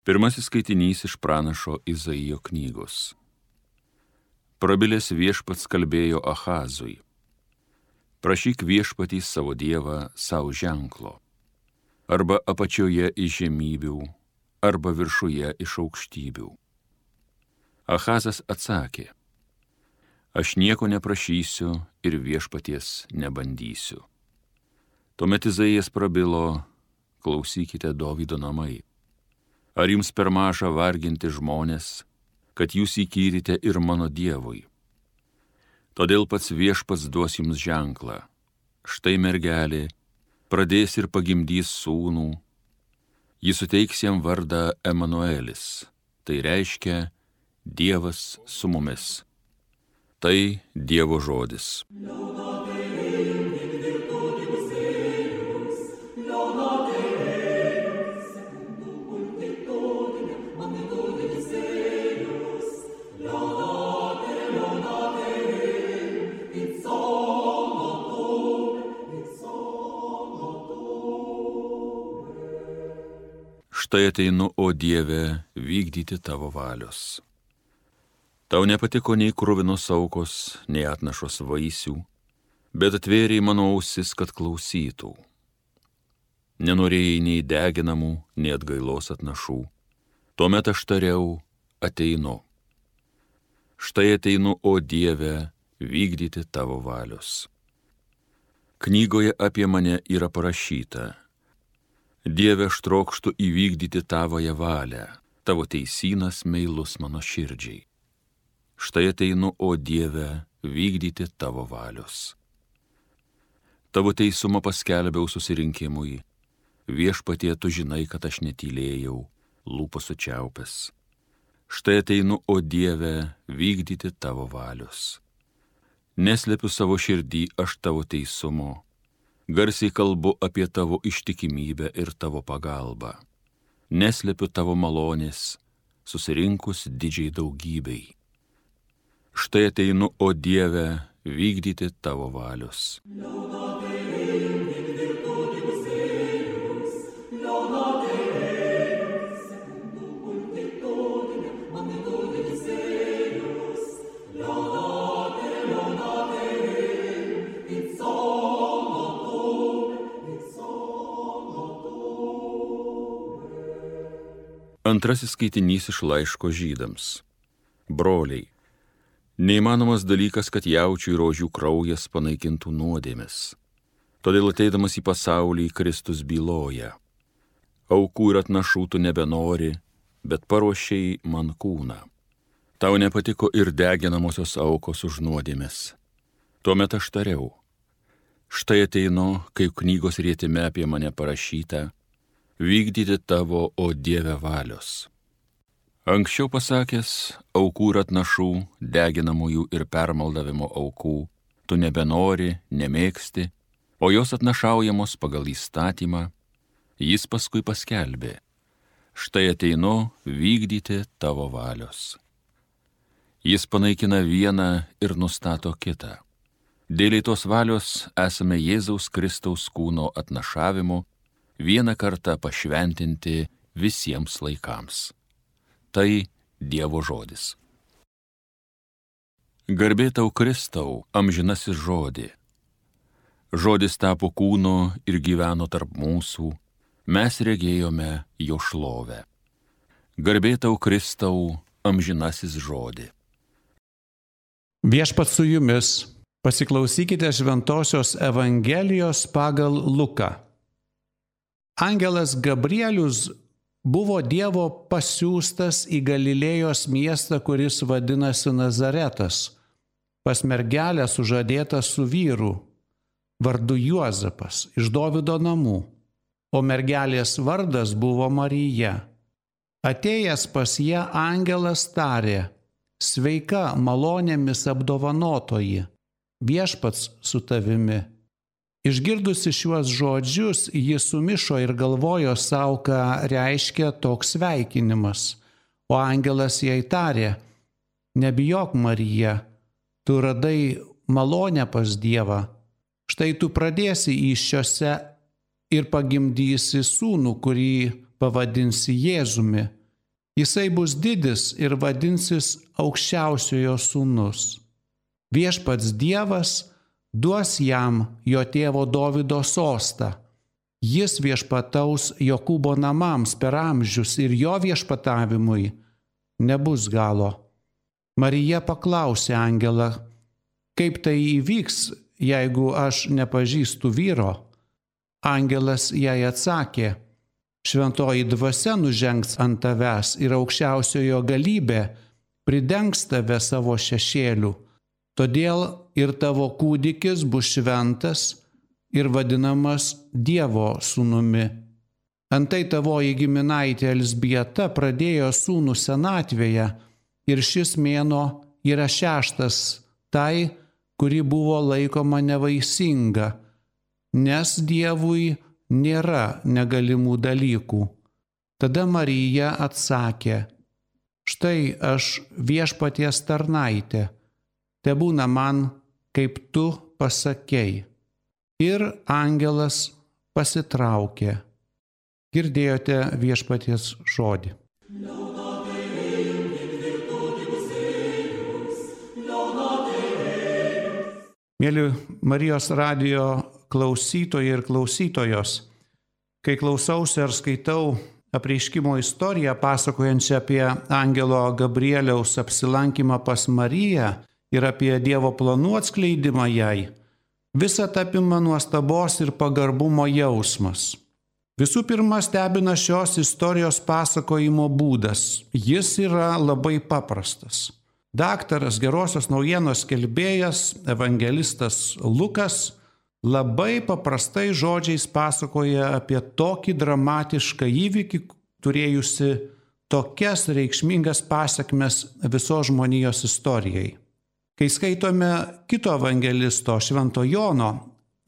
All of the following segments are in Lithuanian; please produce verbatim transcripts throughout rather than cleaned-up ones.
Pirmasis skaitinys iš pranašo Izaijo knygos. Prabilęs viešpats kalbėjo Ahazui. Prašyk viešpatį savo dievą savo ženklo, arba apačioje iš žemybių, arba viršuje iš aukštybių. Ahazas atsakė, aš nieko neprašysiu ir viešpaties nebandysiu. Tuomet Izaijas prabilo, klausykite Dovydo namai. Ar jums per maža varginti žmonės, kad jūs įkyrite ir mano dievui? Todėl pats viešpats duos jums ženklą. Štai mergelė pradės ir pagimdys sūnų. Jis suteiks jam vardą Emanuelis, tai reiškia Dievas su mumis. Tai Dievo žodis. Štai ateinu, o Dieve, vykdyti tavo valios. Tau nepatiko nei kruvinos aukos, nei atnašos vaisių, bet atvėrei mano ausis, kad klausytų. Nenorėjai nei deginamų, nei atgailos atnašų. Tuomet aš tariau, ateinu. Štai ateinu, o Dieve, vykdyti tavo valios. Knygoje apie mane yra parašyta. Dieve, aš trokštu įvykdyti tavoje valią, tavo teisynas meilus mano širdžiai. Štai ateinu, o Dieve, vykdyti tavo valios. Tavo teisumą paskelbiau susirinkimui. Viešpatie, tu žinai, kad aš netylėjau, lūpos sučiaupęs. Štai ateinu, o Dieve, vykdyti tavo valios. Neslepiu savo širdį aš tavo teisumo. Garsiai kalbu apie tavo ištikimybę ir tavo pagalbą. Neslepiu tavo malonės, susirinkus didžiai daugybei. Štai ateinu, o Dieve, vykdyti tavo valios. Antrasis skaitinys iš laiško žydams. Broliai, neįmanomas dalykas, kad jaučių ir ožių kraujas panaikintų nuodėmes. Todėl ateidamas į pasaulį Kristus byloja. Aukų ir atnašų tu nebenori, bet paruošei man kūną. Tau nepatiko ir deginamosios aukos už nuodėmes. Tuomet aš tariau. Štai ateinu, kaip knygos rietime apie mane parašyta, vykdyti tavo, o Dieve, valios. Anksčiau pasakęs, aukų ir atnašų, deginamųjų ir permaldavimo aukų, tu nebenori, nemėgsti, o jos atnašaujamos pagal įstatymą, jis paskui paskelbė. Štai ateinu vykdyti tavo valios. Jis panaikina vieną ir nustato kitą. Dėl tos valios esame Jėzaus Kristaus kūno atnašavimu vieną kartą pašventinti visiems laikams. Tai Dievo žodis. Garbė tau Kristau, amžinasis žodį. Žodis tapo kūnu ir gyveno tarp mūsų, mes regėjome jo šlovę. Garbė tau Kristau, amžinasis žodį. Viešpats su jumis, pasiklausykite Šventosios Evangelijos pagal Luką. Angelas Gabrielius buvo Dievo pasiųstas į Galilėjos miestą, kuris vadinasi Nazaretas, pas mergelę sužadėtą su vyru, vardu Juozapas, iš Dovydo namų, o mergelės vardas buvo Marija. Atėjęs pas ją angelas tarė, sveika malonėmis apdovanotoji, viešpats su tavimi. Išgirdusi šiuos žodžius, ji sumišo ir galvojo savo, ką reiškia toks sveikinimas. O angelas jai tarė, nebijok Marija, tu radai malonę pas Dievą. Štai tu pradėsi įsčiose ir pagimdysi sūnų, kurį pavadinsi Jėzumi. Jisai bus didis ir vadinsis Aukščiausiojo sūnus. Viešpats Dievas duos jam jo tėvo Dovydo sostą. Jis viešpataus Jokūbo namams per amžius ir jo viešpatavimui nebus galo. Marija paklausė angelą, kaip tai įvyks, jeigu aš nepažįstu vyro. Angelas jai atsakė, šventoji dvasia nužengs ant tavęs ir aukščiausiojo galybė pridengs tave savo šešėliu. Todėl ir tavo kūdikis bus šventas ir vadinamas Dievo sūnumi. Antai tavoji giminaitė Elzbieta pradėjo sūnų senatvėje ir šis mėnuo yra šeštas tai, kuri buvo laikoma nevaisinga, nes Dievui nėra negalimų dalykų. Tada Marija atsakė, štai aš viešpaties tarnaitė, tebūna man, kaip tu pasakei. Ir angelas pasitraukė. Girdėjote viešpaties žodį. Mėly Marijos radijo klausytojai ir klausytojos, kai klausausi ar skaitau apreiškimo istoriją pasakojančią apie angelo Gabrieliaus apsilankymą pas Mariją ir apie Dievo planų atskleidimą jai, visą apima nuostabos ir pagarbumo jausmas. Visų pirma, stebina šios istorijos pasakojimo būdas. Jis yra labai paprastas. Daktaras, gerosios naujienos skelbėjas, evangelistas Lukas labai paprastai žodžiais pasakoja apie tokį dramatišką įvykį, turėjusi tokias reikšmingas pasekmes visos žmonijos istorijai. Kai skaitome kito evangelisto Švento Jono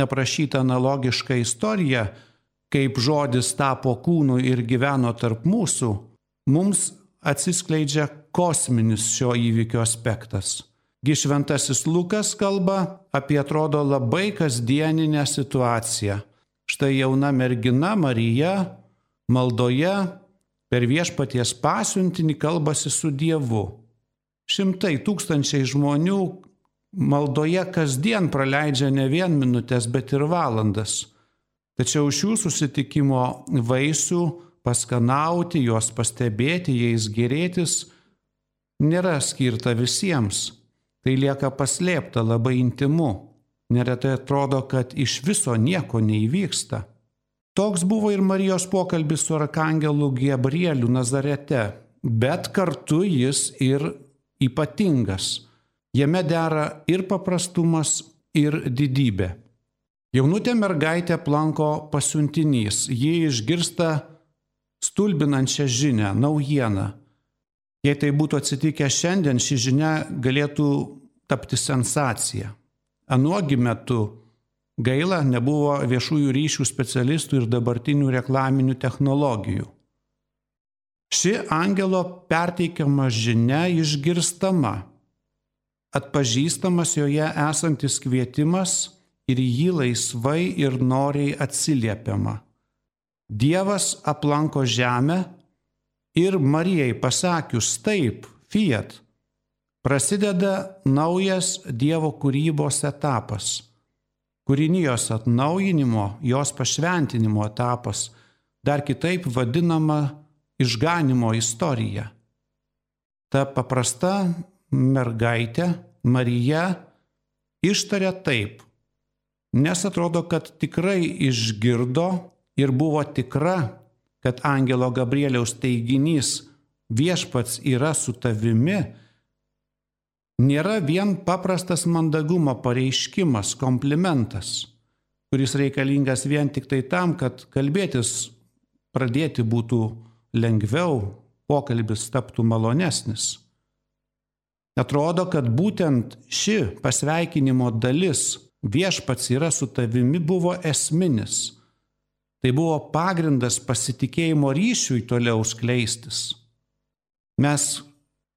aprašytą analogišką istoriją, kaip žodis tapo kūnu ir gyveno tarp mūsų, mums atsiskleidžia kosminis šio įvykio aspektas. Gi šventasis Lukas kalba apie atrodo labai kasdieninę situaciją. Štai jauna mergina Marija maldoje per viešpaties pasiuntinį kalbasi su Dievu. Šimtai tūkstančiai žmonių maldoje kasdien praleidžia ne vien minutės, bet ir valandas. Tačiau šių susitikimo vaisių paskanauti, juos pastebėti, jais gėrėtis nėra skirta visiems. Tai lieka paslėpta, labai intimu. Neretai atrodo, kad iš viso nieko neįvyksta. Toks buvo ir Marijos pokalbis su arkangelu Gabrieliu Nazarete, bet kartu jis ir ypatingas. Jame dera ir paprastumas, ir didybė. Jaunutė mergaitė aplanko pasiuntinys. Ji išgirsta stulbinančią žinią, naujieną. Jei tai būtų atsitikę šiandien, ši žinia galėtų tapti sensacija. Anuogi metu gaila nebuvo viešųjų ryšių specialistų ir dabartinių reklaminių technologijų. Ši angelo perteikiama žinia išgirstama, atpažįstamas joje esantis kvietimas ir jį laisvai ir noriai atsiliepiama. Dievas aplanko žemę ir Marijai pasakius taip, fiat, prasideda naujas Dievo kūrybos etapas, kūrinijos atnaujinimo, jos pašventinimo etapas, dar kitaip vadinama išganimo istorija. Ta paprasta mergaitė Marija ištaria taip, nes atrodo, kad tikrai išgirdo ir buvo tikra, kad angelo Gabrieliaus teiginys viešpats yra su tavimi, nėra vien paprastas mandagumo pareiškimas, komplimentas, kuris reikalingas vien tik tai tam, kad kalbėtis pradėti būtų lengviau, pokalbis taptų malonesnis. Atrodo, kad būtent ši pasveikinimo dalis viešpats yra su tavimi buvo esminis. Tai buvo pagrindas pasitikėjimo ryšiui toliau skleistis. Mes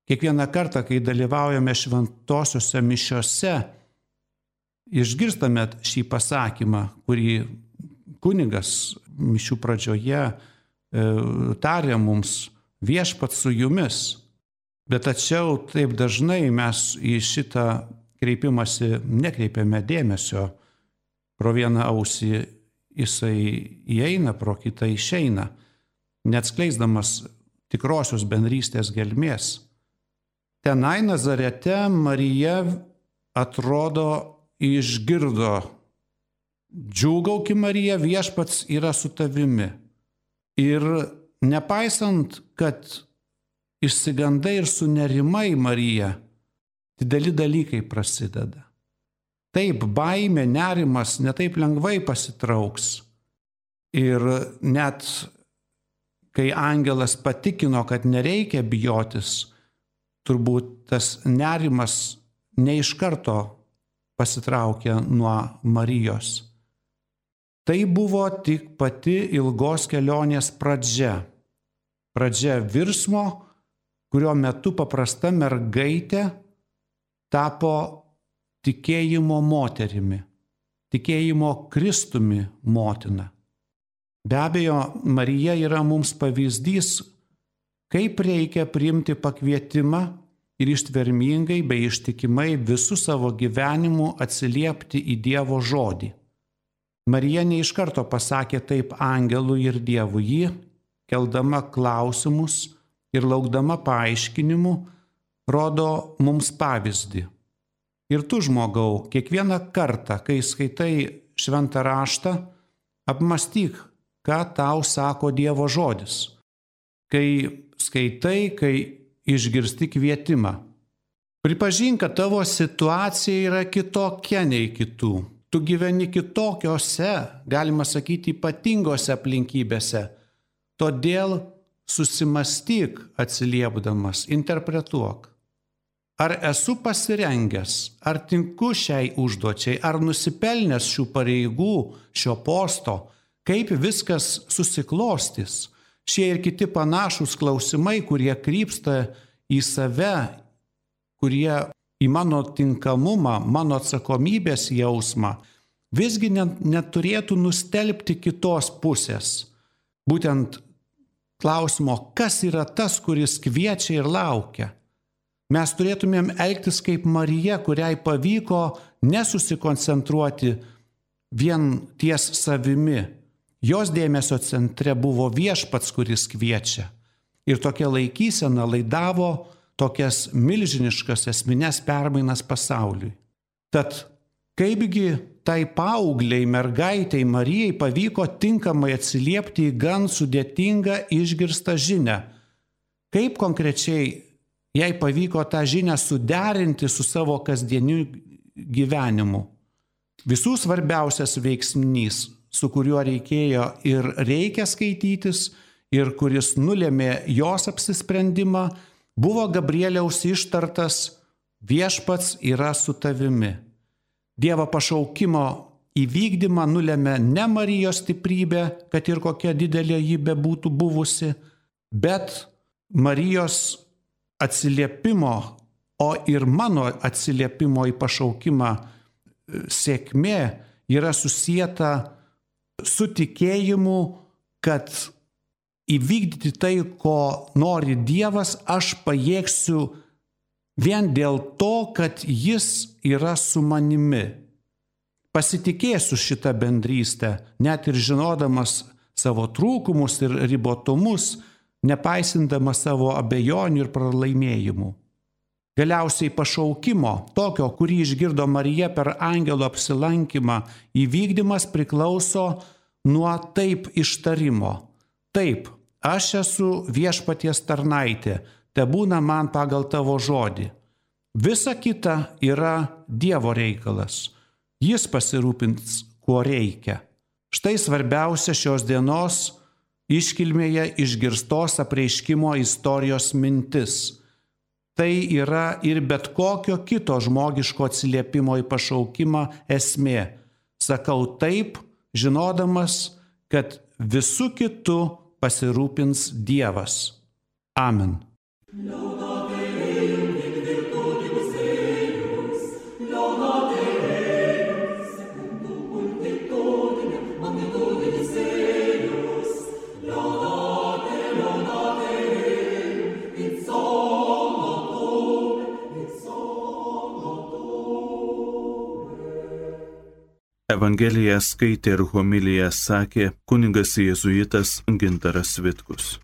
kiekvieną kartą, kai dalyvaujame šventosiuose mišiose, išgirstame šį pasakymą, kurį kunigas mišių pradžioje e, tarė mums viešpats su jumis. Bet tačiau taip dažnai mes į šitą kreipimąsi nekreipiame dėmesio. Pro vieną ausį jisai įeina, pro kitą išeina, neatskleisdamas tikrosios bendrystės gelmės. Tenai Nazarete Marija atrodo išgirdo: džiūgauki Marija, viešpats yra su tavimi. Ir nepaisant, kad išsigandai ir sunerimai Marija, dideli dalykai prasideda. Taip, baimė, nerimas netaip lengvai pasitrauks. Ir net kai angelas patikino, kad nereikia bijotis, turbūt tas nerimas ne iš karto pasitraukė nuo Marijos. Tai buvo tik pati ilgos kelionės pradžia. Pradžia virsmo, kurio metu paprasta mergaitė tapo tikėjimo moterimi, tikėjimo Kristumi motina. Be abejo, Marija yra mums pavyzdys, kaip reikia priimti pakvietimą ir ištvermingai bei ištikimai visų savo gyvenimų atsiliepti į Dievo žodį. Marija ne iš karto pasakė taip angelui ir Dievui. Ji, keldama klausimus ir laukdama paaiškinimų, rodo mums pavyzdį. Ir tu, žmogau, kiekvieną kartą, kai skaitai šventą raštą, apmąstyk, ką tau sako Dievo žodis. Kai skaitai, kai išgirsti kvietimą. Pripažink, kad tavo situacija yra kitokia nei kitų. Tu gyveni kitokiose, galima sakyti, ypatingose aplinkybėse. Todėl susimastyk atsiliepdamas, interpretuok. Ar esu pasirengęs, ar tinku šiai užduočiai, ar nusipelnęs šių pareigų, šio posto, kaip viskas susiklostys. Šie ir kiti panašūs klausimai, kurie krypsta į save, kurie į mano tinkamumą, mano atsakomybės jausmą, visgi neturėtų nustelbti kitos pusės. Būtent klausimo, kas yra tas, kuris kviečia ir laukia. Mes turėtumėm elgtis kaip Marija, kuriai pavyko nesusikoncentruoti vien ties savimi. Jos dėmesio centre buvo viešpats, kuris kviečia. Ir tokia laikysena laidavo tokias milžiniškas esmines permainas pasauliui. Tad kaipgi tai paaugliai mergaitei Marijai pavyko tinkamai atsiliepti į gan sudėtingą išgirstą žinią? Kaip konkrečiai jai pavyko tą žinią suderinti su savo kasdieniu gyvenimu? Visų svarbiausias veiksnys, su kuriuo reikėjo ir reikia skaitytis, ir kuris nulėmė jos apsisprendimą, buvo Gabrieliaus ištartas: viešpats yra su tavimi. Dievo pašaukimo įvykdymą nulėmė ne Marijos stiprybė, kad ir kokia didelė ji bebūtų buvusi, bet Marijos atsiliepimo, o ir mano atsiliepimo į pašaukimą sėkmė yra susieta su tikėjimu, kad įvykdyti tai, ko nori Dievas, aš pajėgsiu vien dėl to, kad Jis yra su manimi. Pasitikėsiu šitą bendrystę, net ir žinodamas savo trūkumus ir ribotumus, nepaisindamas savo abejonių ir pralaimėjimų. Galiausiai pašaukimo, tokio, kurį išgirdo Marija per angelo apsilankymą, įvykdymas priklauso nuo taip ištarimo. Taip, aš esu viešpaties tarnaitė, tebūna man pagal tavo žodį. Visa kita yra Dievo reikalas. Jis pasirūpins, kuo reikia. Štai svarbiausia šios dienos iškilmėje išgirstos apreiškimo istorijos mintis. Tai yra ir bet kokio kito žmogiško atsiliepimo į pašaukimą esmė. Sakau taip, žinodamas, kad visų kitų pasirūpins Dievas. Amen. Evangeliją skaitė ir homiliją sakė kunigas jėzuitas Gintaras Vitkus.